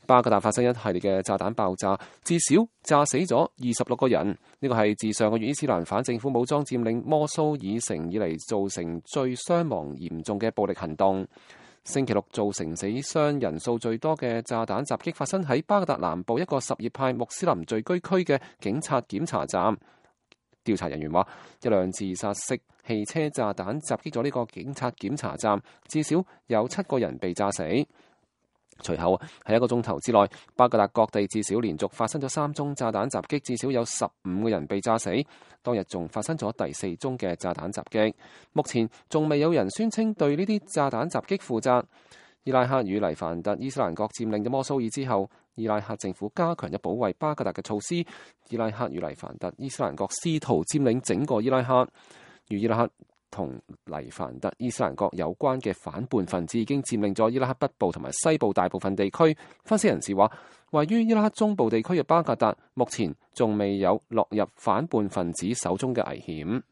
巴格達發生一系列嘅炸彈爆炸，至少炸死咗26個人。呢個係自上個月伊斯蘭反政府武裝佔領摩蘇爾城以嚟造成最傷亡嚴重嘅暴力行動。星期六造成死傷人數最多嘅炸彈襲擊發生喺巴格達南部一個什葉派穆斯林聚居區嘅警察檢查站。調查人員話，一輛自殺式汽車炸彈襲擊咗呢個警察檢查站，至少有7個人被炸死。隨後喺1個鐘頭之內，巴格達各地至少連續發生咗3宗炸彈襲擊，至少有15個人被炸死。當日仲發生咗第4宗嘅炸彈襲擊。目前仲未有人宣稱對呢啲炸彈襲擊負責。伊拉克與黎凡特伊斯蘭國佔領咗摩蘇爾之後，伊拉克政府加強咗保衛巴格達嘅措施。伊拉克與黎凡特伊斯蘭國試圖佔領整個伊拉克。與伊拉克同黎凡特伊斯蘭國有關嘅反叛分子已經佔領咗伊拉克北部同埋西部大部分地區。分析人士話，位於伊拉克中部地區嘅巴格達目前仲未有落入反叛分子手中嘅危險。